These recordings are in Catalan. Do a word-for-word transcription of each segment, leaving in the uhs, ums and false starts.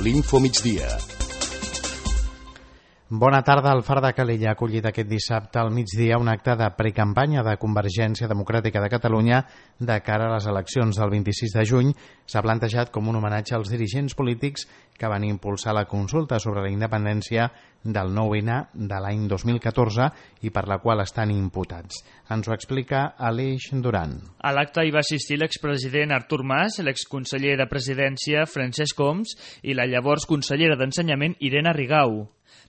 l'Info Migdia. Bona tarda. El Far de Calella ha acollit aquest dissabte al migdia un acte de precampanya de Convergència Democràtica de Catalunya de cara a les eleccions del vint-i-sis de juny. S'ha plantejat com un homenatge als dirigents polítics que van impulsar la consulta sobre la independència del nou ene de l'any dos mil catorze i per la qual estan imputats. Ens ho explica Aleix Duran. A l'acte hi va assistir l'expresident Artur Mas, l'exconseller de Presidència Francesc Homs i la llavors consellera d'Ensenyament Irene Rigau.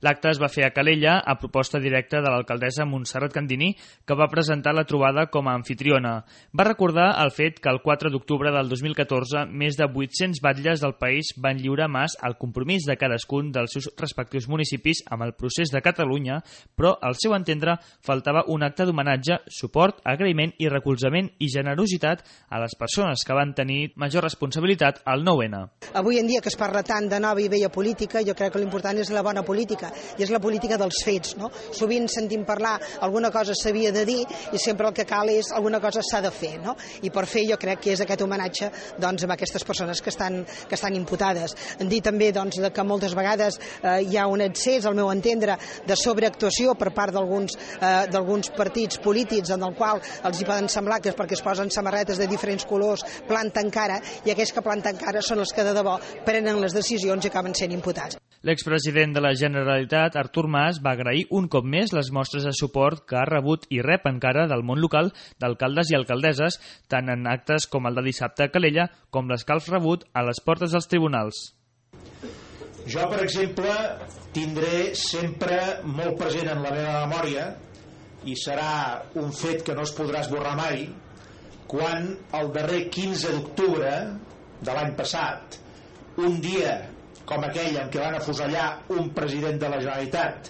L'acte es va fer a Calella a proposta directa de l'alcaldessa Montserrat Candini, que va presentar la trobada com a anfitriona. Va recordar el fet que el quatre d'octubre del dos mil catorze més de vuit-cents batlles del país van lliurar a Mas el compromís de cadascun dels seus respectius municipis amb el procés de Catalunya, però al seu entendre faltava un acte d'homenatge, suport, agraïment i recolzament i generositat a les persones que van tenir major responsabilitat al nou ene. Avui en dia que es parla tant de nova i vella política, jo crec que l'important és la bona política, i és la política dels fets, no? Sovint sentim parlar alguna cosa s'havia de dir i sempre el que cal és alguna cosa s'ha de fer, no? I per fer jo crec que és aquest homenatge doncs, a aquestes persones que estan, que estan imputades. En dir també doncs, que moltes vegades eh, hi ha un excés, al meu entendre, de sobreactuació per part d'alguns eh, d'alguns partits polítics en el qual els hi poden semblar que és perquè es posen samarretes de diferents colors, planten cara, i aquells que planten cara són els que de debò prenen les decisions i acaben sent imputats. L'expresident de la Generalitat, Artur Mas, va agrair un cop més les mostres de suport que ha rebut i rep encara del món local d'alcaldes i alcaldesses, tant en actes com el de dissabte a Calella, com les que ha rebut a les portes dels tribunals. Jo, per exemple, tindré sempre molt present en la meva memòria, i serà un fet que no es podrà esborrar mai, quan el darrer quinze d'octubre de l'any passat, un dia com aquell en què van afusellar un president de la Generalitat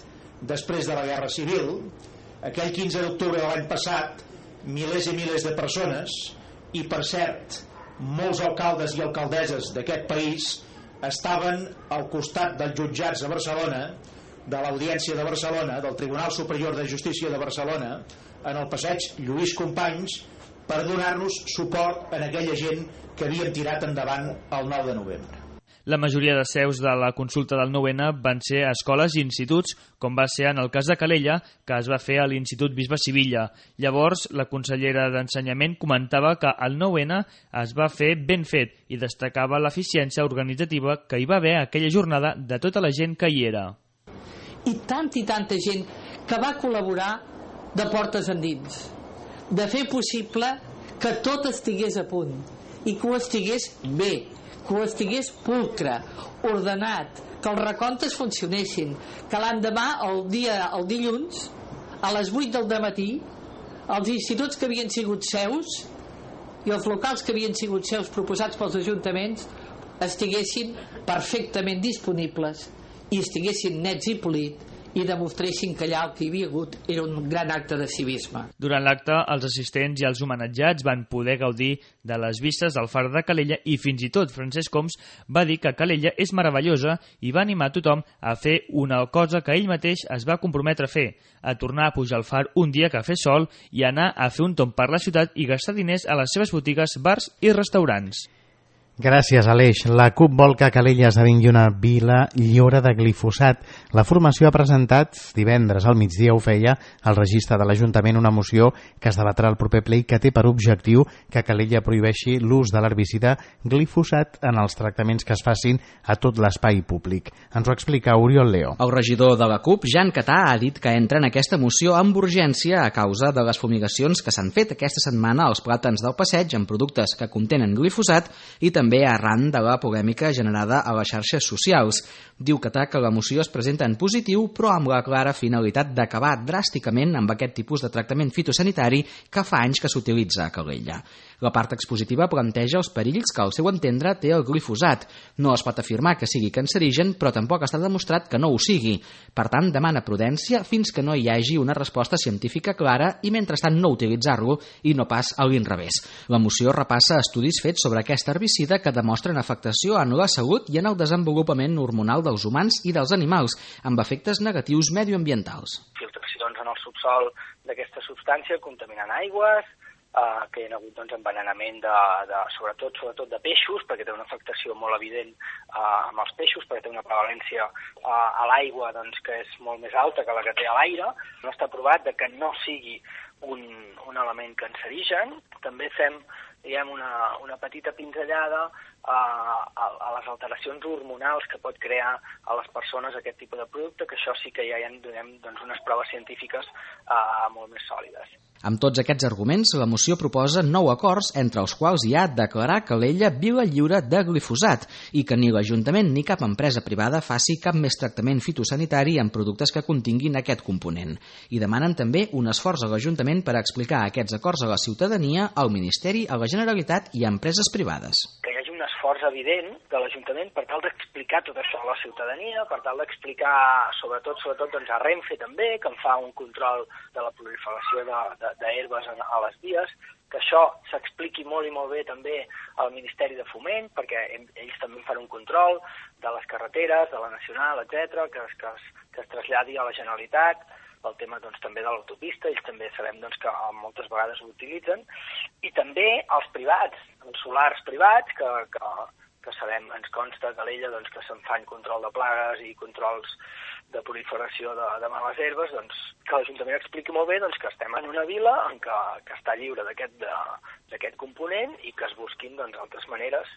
després de la Guerra Civil, aquell quinze d'octubre de l'any passat, milers i milers de persones, i per cert, molts alcaldes i alcaldesses d'aquest país estaven al costat dels jutjats de Barcelona, de l'Audiència de Barcelona, del Tribunal Superior de Justícia de Barcelona, en el passeig Lluís Companys, per donar-nos suport en aquella gent que havien tirat endavant el nou de novembre. La majoria de seus de la consulta del nou ene van ser a escoles i instituts, com va ser en el cas de Calella, que es va fer a l'Institut Bisbe Sivilla. Llavors, la consellera d'Ensenyament comentava que el nou ene es va fer ben fet i destacava l'eficiència organitzativa que hi va haver aquella jornada de tota la gent que hi era. I tanta i tanta gent que va col·laborar de portes endins, de fer possible que tot estigués a punt i que ho estigués bé, que ho estigués pulcre, ordenat, que els recomptes funcionessin, que l'endemà, el dia, el dilluns, a les vuit del dematí, els instituts que havien sigut seus i els locals que havien sigut seus proposats pels ajuntaments estiguessin perfectament disponibles i estiguessin nets i polits i demostressin que allà el que hi havia hagut era un gran acte de civisme. Durant l'acte, els assistents i els homenatjats van poder gaudir de les vistes del Far de Calella i fins i tot Francesc Homs va dir que Calella és meravellosa i va animar tothom a fer una cosa que ell mateix es va comprometre a fer, a tornar a pujar al Far un dia que fes sol i anar a fer un tomb per la ciutat i gastar diners a les seves botigues, bars i restaurants. Gràcies, Aleix. La CUP vol que Calella esdevingui una vila lliure de glifosat. La formació ha presentat divendres al migdia, ho feia, al registre de l'Ajuntament una moció que es debatrà al proper ple i que té per objectiu que Calella prohibeixi l'ús de l'herbicida glifosat en els tractaments que es facin a tot l'espai públic. Ens ho explica Oriol Leo. El regidor de la CUP, Jan Catà, ha dit que entra en aquesta moció amb urgència a causa de les fumigacions que s'han fet aquesta setmana als plàtans del passeig amb productes que contenen glifosat i també també arran de la polèmica generada a les xarxes socials. Diu Catà que la moció es presenta en positiu, però amb la clara finalitat d'acabar dràsticament amb aquest tipus de tractament fitosanitari que fa anys que s'utilitza a Calella. La part expositiva planteja els perills que, al seu entendre, té el glifosat. No es pot afirmar que sigui cancerigen, però tampoc està demostrat que no ho sigui. Per tant, demana prudència fins que no hi hagi una resposta científica clara i, mentrestant, no utilitzar-lo i no pas a l'inrevés. La moció repassa estudis fets sobre aquest herbicida que demostren afectació en la salut i en el desenvolupament hormonal dels humans i dels animals, amb efectes negatius medioambientals. Filtracions en el subsol d'aquesta substància contaminant aigües, Uh, que hi ha hagut doncs, envenenament de, de, sobretot sobretot de peixos, perquè té una afectació molt evident uh, amb els peixos, perquè té una prevalència uh, a l'aigua doncs, que és molt més alta que la que té a l'aire. No està provat de que no sigui un, un element cancerigen. També fem diguem, una, una petita pinzellada uh, a, a les alteracions hormonals que pot crear a les persones aquest tipus de producte, que això sí que ja hi ha diguem, doncs, unes proves científiques uh, molt més sòlides. Amb tots aquests arguments, la moció proposa nou acords, entre els quals hi ha declarar Calella vila lliure de glifosat i que ni l'Ajuntament ni cap empresa privada faci cap més tractament fitosanitari en productes que continguin aquest component. I demanen també un esforç a l'Ajuntament per explicar aquests acords a la ciutadania, al Ministeri, a la Generalitat i a empreses privades. Que hi hagi un esforç evident de l'Ajuntament per tal d'explicar tot això a la ciutadania, per tal d'explicar, sobretot, sobretot doncs a Renfe també, que en fa un control de la proliferació de, de d'herbes a les vies, que això s'expliqui molt i molt bé també al Ministeri de Foment, perquè ells també fan un control de les carreteres, de la Nacional, etcètera, que, que, es, que es traslladi a la Generalitat, el tema doncs, també de l'autopista, ells també sabem doncs, que moltes vegades ho utilitzen, i també els privats, els solars privats, que, que, que sabem, ens consta que l'ella doncs, que se'n fan control de plagues i controls de proliferació de, de males herbes, doncs, que l'Ajuntament expliqui molt bé doncs, que estem en una vila en què, que està lliure d'aquest component i que es busquin doncs, altres maneres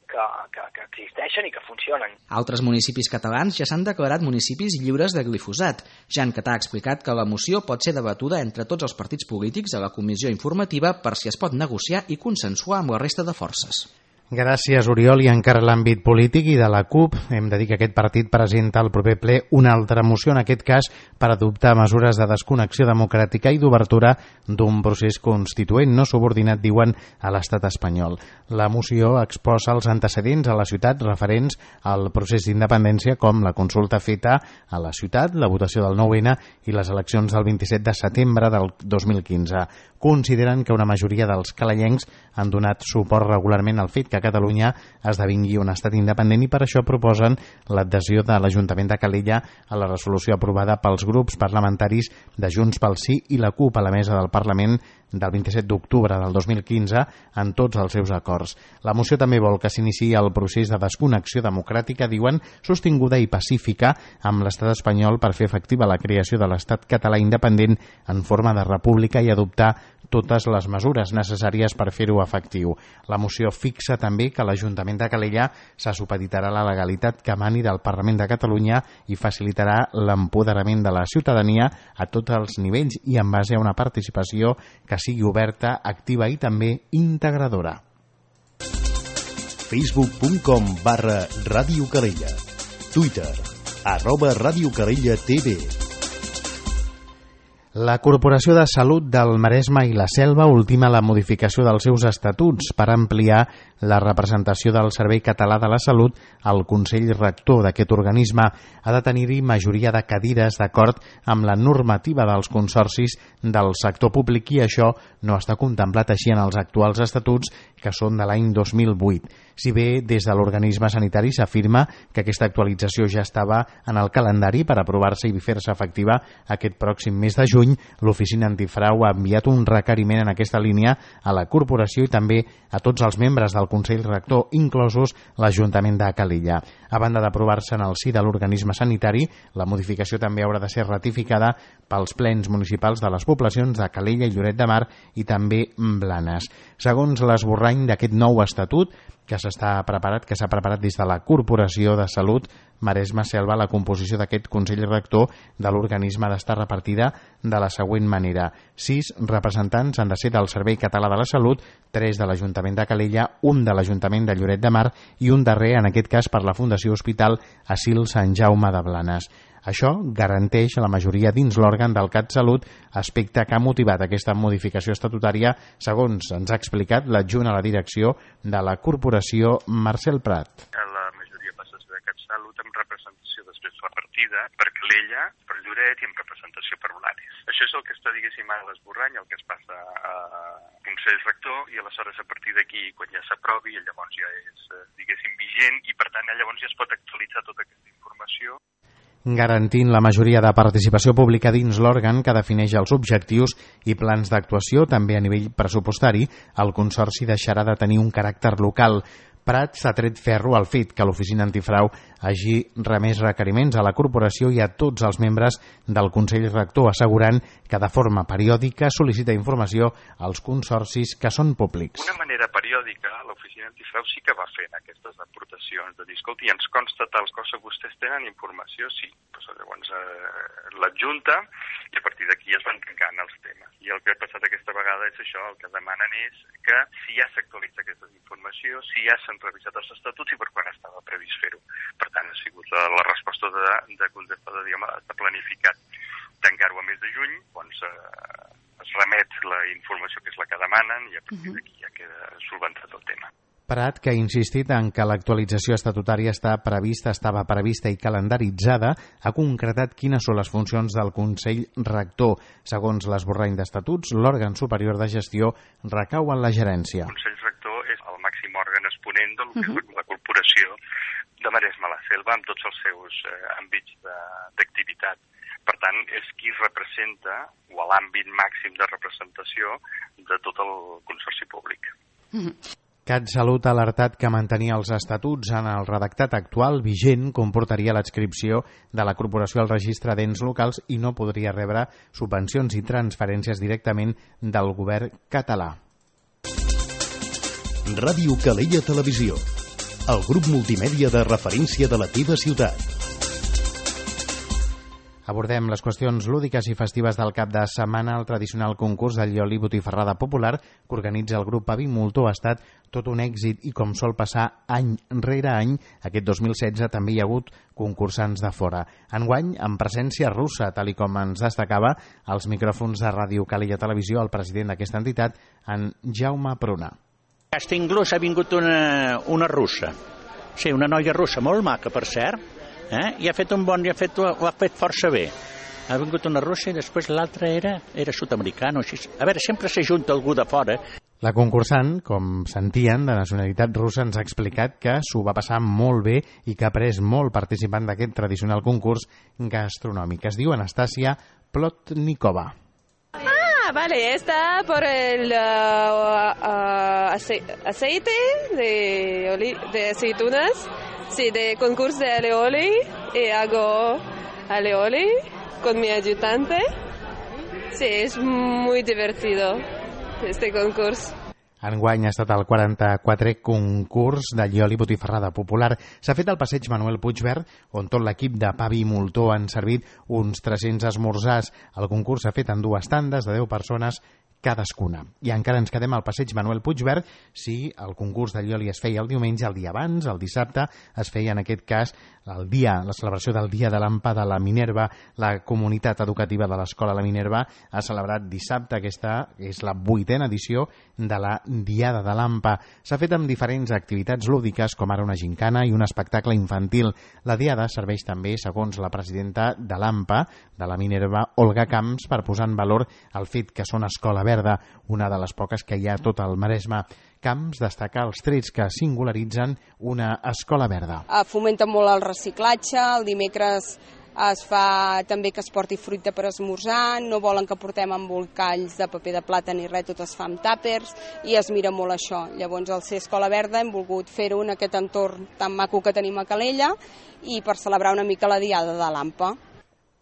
que, que, que existeixen i que funcionen. Altres municipis catalans ja s'han declarat municipis lliures de glifosat. Jan Catà ha explicat que la moció pot ser debatuda entre tots els partits polítics a la comissió informativa per si es pot negociar i consensuar amb la resta de forces. Gràcies, Oriol. I encara l'àmbit polític i de la CUP, hem de dir que aquest partit presenta al proper ple una altra moció, en aquest cas per adoptar mesures de desconnexió democràtica i d'obertura d'un procés constituent no subordinat, diuen, a l'estat espanyol. La moció exposa els antecedents a la ciutat referents al procés d'independència, com la consulta feta a la ciutat, la votació del nou ene i les eleccions del vint-i-set de setembre del dos mil quinze. Consideren que una majoria dels calellencs han donat suport regularment al fet que Catalunya esdevingui un estat independent i per això proposen l'adhesió de l'Ajuntament de Calella a la resolució aprovada pels grups parlamentaris de Junts pel Sí i la CUP a la mesa del Parlament del vint-i-set d'octubre del dos mil quinze en tots els seus acords. La moció també vol que s'iniciï el procés de desconnexió democràtica, diuen, sostinguda i pacífica amb l'estat espanyol per fer efectiva la creació de l'estat català independent en forma de república i adoptar totes les mesures necessàries per fer-ho efectiu. La moció fixa també que l'Ajuntament de Calella se supeditarà la legalitat que emani del Parlament de Catalunya i facilitarà l'empoderament de la ciutadania a tots els nivells i en base a una participació que sigui oberta, activa i també integradora. facebook punt com barra Ràdio Calella. Twitter, arroba Ràdio Calella T V. La Corporació de Salut del Maresme i la Selva ultima la modificació dels seus estatuts per ampliar la representació del Servei Català de la Salut al Consell Rector d'aquest organisme. Ha de tenir-hi majoria de cadires d'acord amb la normativa dels consorcis del sector públic i això no està contemplat així en els actuals estatuts, que són de l'any dos mil vuit. Si bé des de l'organisme sanitari s'afirma que aquesta actualització ja estava en el calendari per aprovar-se i fer-se efectiva aquest pròxim mes de juny, l'Oficina Antifrau ha enviat un requeriment en aquesta línia a la corporació i també a tots els membres del Consell Rector, inclosos l'Ajuntament de Calella. A banda d'aprovar-se en el si de l'organisme sanitari, la modificació també haurà de ser ratificada pels plens municipals de les poblacions de Calella i Lloret de Mar i també Blanes. Segons l'esborrany d'aquest nou estatut, que s'està preparat, que s'ha preparat des de la Corporació de Salut Maresme Selva, la composició d'aquest Consell Rector de l'organisme ha d'estar repartida de la següent manera. Sis representants han de ser del Servei Català de la Salut, tres de l'Ajuntament de Calella, un de l'Ajuntament de Lloret de Mar i un darrer, en aquest cas, per la Fundació Hospital Asil Sant Jaume de Blanes. Això garanteix la majoria dins l'òrgan del CatSalut, aspecte que ha motivat aquesta modificació estatutària, segons ens ha explicat l'adjunt a la direcció de la corporació, Marcel Prat. La majoria passa a ser de CatSalut amb representació després repartida per Calella, per Lloret i amb representació per Blanes. Això és el que està, diguéssim, a l'esborrany, el que es passa a Consell Rector i aleshores a partir d'aquí, quan ja s'aprovi, llavors ja és, diguéssim, vigent i per tant llavors ja es pot actualitzar tota aquesta informació. garantint la majoria de participació pública dins l'òrgan que defineix els objectius i plans d'actuació, també a nivell pressupostari, el Consorci deixarà de tenir un caràcter local. Prat s'ha tret ferro al fet que l'Oficina Antifrau hagi remès requeriments a la corporació i a tots els membres del Consell Rector, assegurant que de forma periòdica sol·licita informació als consorcis que són públics. D'una manera periòdica, l'Oficina Antifrau sí que va fent aquestes aportacions de dir, escolti, ens consta tals coses, vostès tenen informació? Sí. Pues, llavors eh, l'adjunta i a partir d'aquí es van tancant els temes. I el que ha passat aquesta vegada és això, el que demanen és que si ja s'actualitza aquesta informació, si ja s'han revisat els estatuts i per quan estava previst fer-ho. Per tant, ha sigut la, la resposta de, de contestar de, diguem, de planificat tancar-ho a mes de juny, doncs eh, es remet la informació que és la que demanen i a partir d'aquí ja queda solventat el tema. Prat, que ha insistit en que l'actualització estatutària està prevista, estava prevista i calendaritzada, ha concretat quines són les funcions del Consell Rector. Segons l'esborrany d'estatuts, l'òrgan superior de gestió recau en la gerència. El Consell Rector és el màxim òrgan exponent de uh -huh. la corporació de Maresme la Selva amb tots els seus eh, àmbits d'activitat. Per tant, és qui representa, o l'àmbit màxim de representació de tot el consorci públic. Uh -huh. CatSalut ha alertat que mantenir els estatuts en el redactat actual vigent comportaria l'adscripció de la corporació al registre d'ens locals i no podria rebre subvencions i transferències directament del govern català. Ràdio Calella Televisió, el grup multimèdia de referència de la teva ciutat. Abordem les qüestions lúdiques i festives del cap de setmana. El tradicional concurs del Llioli Botifarrada Popular que organitza el grup Avi Moltó ha estat tot un èxit i, com sol passar any rere any, aquest dos mil setze també hi ha hagut concursants de fora. Enguany, amb presència russa, tal i com ens destacava als micròfons de Ràdio Calella Televisió el president d'aquesta entitat, en Jaume Pruna. Aquest inclús ha vingut una, una russa, sí, una noia russa, molt maca, per cert, eh? i ha fet un bon, i ha fet, ho ha fet força bé. Ha vingut una russa i després l'altra era, era sud-americana. A veure, sempre s'ajunta algú de fora. La concursant, com sentien, de nacionalitat russa, ens ha explicat que s'ho va passar molt bé i que ha après molt participant d'aquest tradicional concurs gastronòmic. Es diu Anastasia Plotnikova. Ah, vale, está por el uh, uh, aceite de, oli de aceitunas, sí, de concurso de alioli, y hago alioli con mi ayudante. Sí, es muy divertido este concurso. Enguany ha estat el quaranta-quatrè concurs de Llioli Botifarrada Popular. S'ha fet al passeig Manuel Puigverd, on tot l'equip de Pavi i Moltó han servit uns tres-cents esmorzars. El concurs s'ha fet en dues tandes de deu persones cadascuna. I encara ens quedem al passeig Manuel Puigverd. Si el concurs de Llioli es feia el diumenge, el dia abans, el dissabte, es feia en aquest cas el dia, la celebració del Dia de l'Ampa de la Minerva. La comunitat educativa de l'Escola La Minerva ha celebrat dissabte, aquesta és la vuitena edició de la Diada de l'Ampa. S'ha fet amb diferents activitats lúdiques, com ara una gincana i un espectacle infantil. La Diada serveix també, segons la presidenta de l'Ampa, de la Minerva, Olga Camps, per posar en valor el fet que són escola verda, una de les poques que hi ha a tot el Maresme. Camps destaca els trets que singularitzen una escola verda. Fomenta molt el reciclatge, el dimecres es fa també que es porti fruita per esmorzar, no volen que portem embolcalls de paper de plata ni res, tot es fa amb tàpers i es mira molt això. Llavors, al ser escola verda hem volgut fer-ho en aquest entorn tan maco que tenim a Calella i per celebrar una mica la Diada de l'Ampa.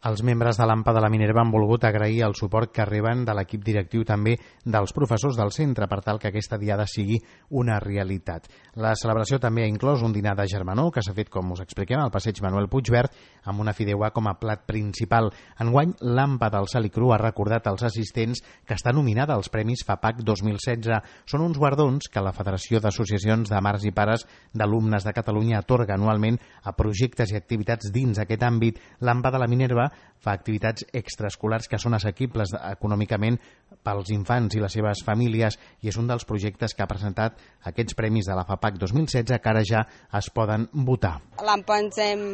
Els membres de l'Ampa de la Minerva han volgut agrair el suport que reben de l'equip directiu també dels professors del centre per tal que aquesta diada sigui una realitat. La celebració també ha inclòs un dinar de germanor que s'ha fet, com us expliquem, al passeig Manuel Puigverd amb una fideuà com a plat principal. Enguany, l'Ampa del Sal i Cru ha recordat als assistents que està nominada als Premis FAPAC dos mil setze. Són uns guardons que la Federació d'Associacions de Mares i Pares d'Alumnes de Catalunya atorga anualment a projectes i activitats dins aquest àmbit. L'Ampa de la Minerva fa activitats extraescolars que són assequibles econòmicament pels infants i les seves famílies i és un dels projectes que ha presentat aquests premis de la FAPAC dos mil setze que ara ja es poden votar. L'Ampa ens hem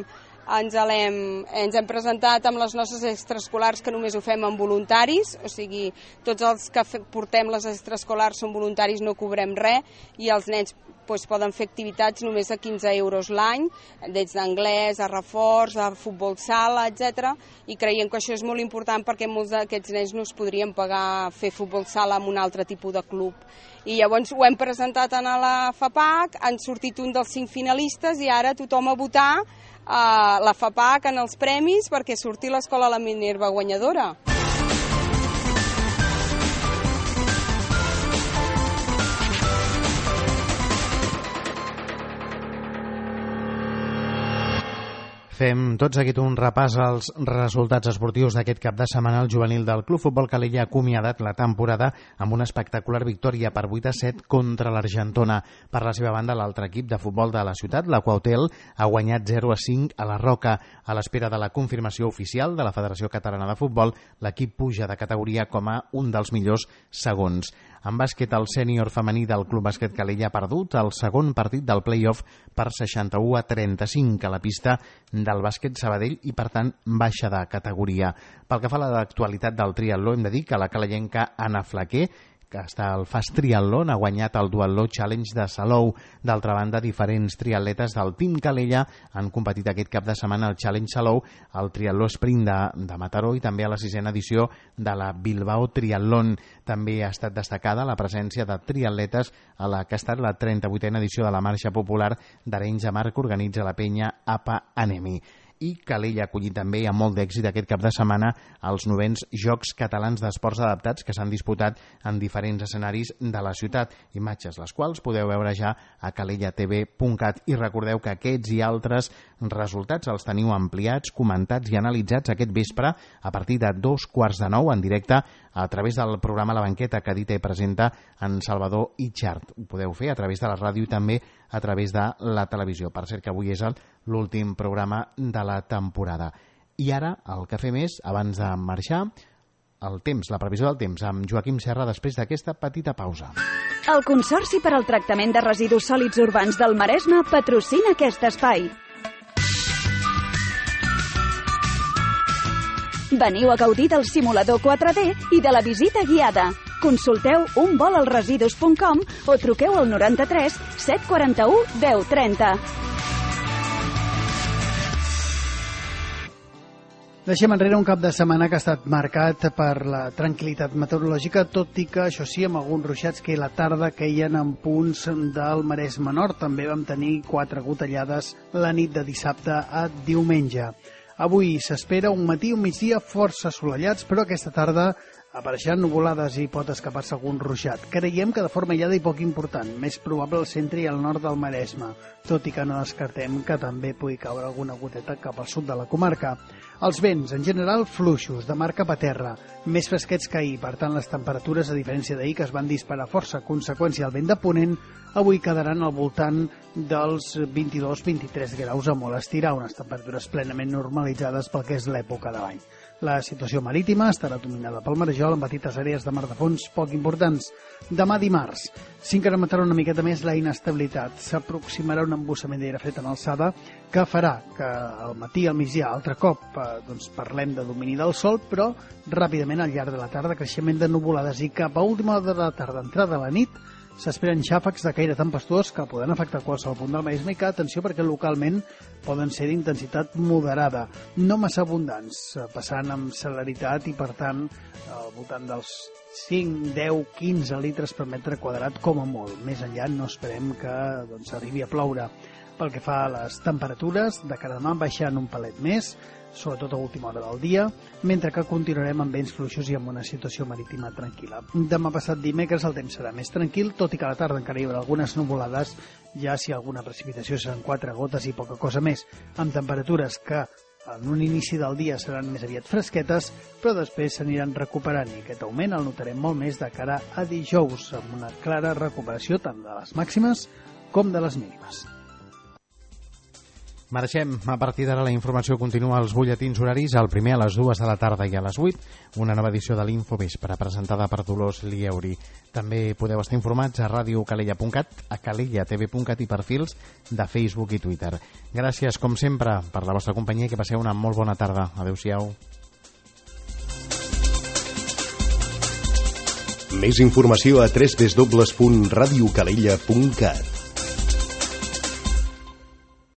ens hem, ens hem presentat amb les nostres extraescolars que només ho fem amb voluntaris, o sigui, tots els que portem les extraescolars són voluntaris, no cobrem res i els nens doncs poden fer activitats només a quinze euros l'any, des d'anglès, a reforç, a futbol sala, etcètera. I creiem que això és molt important perquè molts d'aquests nens no es podrien pagar fer futbol sala en un altre tipus de club. I llavors ho hem presentat a la FAPAC, han sortit un dels cinc finalistes i ara tothom a votar a la FAPAC en els premis perquè surti l'escola La Minerva guanyadora. Fem tot seguit un repàs als resultats esportius d'aquest cap de setmana. El juvenil del Club Futbol Calella ha acomiadat la temporada amb una espectacular victòria per vuit a set contra l'Argentona. Per la seva banda, l'altre equip de futbol de la ciutat, l'Aquautel, ha guanyat zero a cinc a la Roca. A l'espera de la confirmació oficial de la Federació Catalana de Futbol, l'equip puja de categoria com a un dels millors segons. En bàsquet, el sènior femení del Club Bàsquet Calella ha perdut el segon partit del play-off per seixanta-u a trenta-cinc a la pista del bàsquet Sabadell i, per tant, baixa de categoria. Pel que fa a l'actualitat del triatló, hem de dir que la calellenca Anna Flaquer, que està al Fast Triatlon, ha guanyat el Duatló Challenge de Salou. D'altra banda, diferents triatletes del Team Calella han competit aquest cap de setmana al Challenge Salou, al Triatló Sprint de, de Mataró i també a la sisena edició de la Bilbao Triatlon. També ha estat destacada la presència de triatletes a la que ha estat la trenta-vuitena edició de la Marxa Popular d'Arenys de Mar que organitza la penya A P A Anemi. I Calella ha acollit també amb molt d'èxit aquest cap de setmana els novens Jocs Catalans d'Esports Adaptats que s'han disputat en diferents escenaris de la ciutat, imatges les quals podeu veure ja a calella t v punt cat. I recordeu que aquests i altres resultats els teniu ampliats, comentats i analitzats aquest vespre a partir de dos quarts de nou en directe a través del programa La Banqueta que edita i presenta en Salvador Itxart. Ho podeu fer a través de la ràdio i també a través de la televisió. Per cert que avui és l'últim programa de la temporada. I ara el que fem és, abans de marxar, el temps, la previsió del temps, amb Joaquim Serra després d'aquesta petita pausa. El Consorci per al Tractament de Residus Sòlids Urbans del Maresme patrocina aquest espai. Veniu a gaudir del simulador quatre D i de la visita guiada. Consulteu un vol als residus punt com o truqueu al noranta-tres set quaranta-u deu trenta. Deixem enrere un cap de setmana que ha estat marcat per la tranquil·litat meteorològica, tot i que, això sí, amb alguns ruixats que la tarda queien en punts del Maresme Nord. També vam tenir quatre gotellades la nit de dissabte a diumenge. Avui s'espera un matí i un migdia força assolellats, però aquesta tarda apareixeran nuvolades i pot escapar-se algun ruixat. Creiem que de forma aïllada i poc important, més probable al centre i al nord del Maresme, tot i que no descartem que també pugui caure alguna goteta cap al sud de la comarca. Els vents, en general, fluixos, de mar cap a terra, més fresquets que ahir, per tant les temperatures, a diferència d'ahir, que es van disparar força a conseqüència del vent de ponent, avui quedaran al voltant dels vint-i-dos a vint-i-tres graus a molt estirar, unes temperatures plenament normalitzades pel que és l'època de l'any. La situació marítima estarà dominada pel marejol amb petites àrees de mar de fons poc importants. Demà dimarts s'incrementarà una miqueta més la inestabilitat. S'aproximarà un embussament d'aire fred en alçada que farà que al matí i al migdia altre cop eh, doncs parlem de domini del sol, però ràpidament al llarg de la tarda creixement de nuvolades i cap a última hora de la tarda, entrada a la nit, s'esperen xàfecs de caire tempestuós que poden afectar qualsevol punt del Maresme i que, atenció, perquè localment poden ser d'intensitat moderada, no massa abundants, passant amb celeritat i, per tant, al voltant dels cinc, deu, quinze litres per metre quadrat com a molt. Més enllà no esperem que doncs, arribi a ploure. Pel que fa a les temperatures, de cara a demà baixant un palet més, sobretot a última hora del dia, mentre que continuarem amb vents fluixos i amb una situació marítima tranquil·la. Demà passat dimecres el temps serà més tranquil, tot i que a la tarda encara hi haurà algunes nuvolades, ja si alguna precipitació seran quatre gotes i poca cosa més, amb temperatures que en un inici del dia seran més aviat fresquetes, però després s'aniran recuperant i aquest augment el notarem molt més de cara a dijous, amb una clara recuperació tant de les màximes com de les mínimes. Marxem. A partir d'ara la informació continua als butlletins horaris, el primer a les dues de la tarda i a les vuit, una nova edició de l'Infovespre presentada per Dolors Lieuri. També podeu estar informats a ràdio calella punt cat, a calella t v punt cat i perfils de Facebook i Twitter. Gràcies, com sempre, per la vostra companyia i que passeu una molt bona tarda. Adéu-siau. Més informació a w w w punt radio calella punt cat.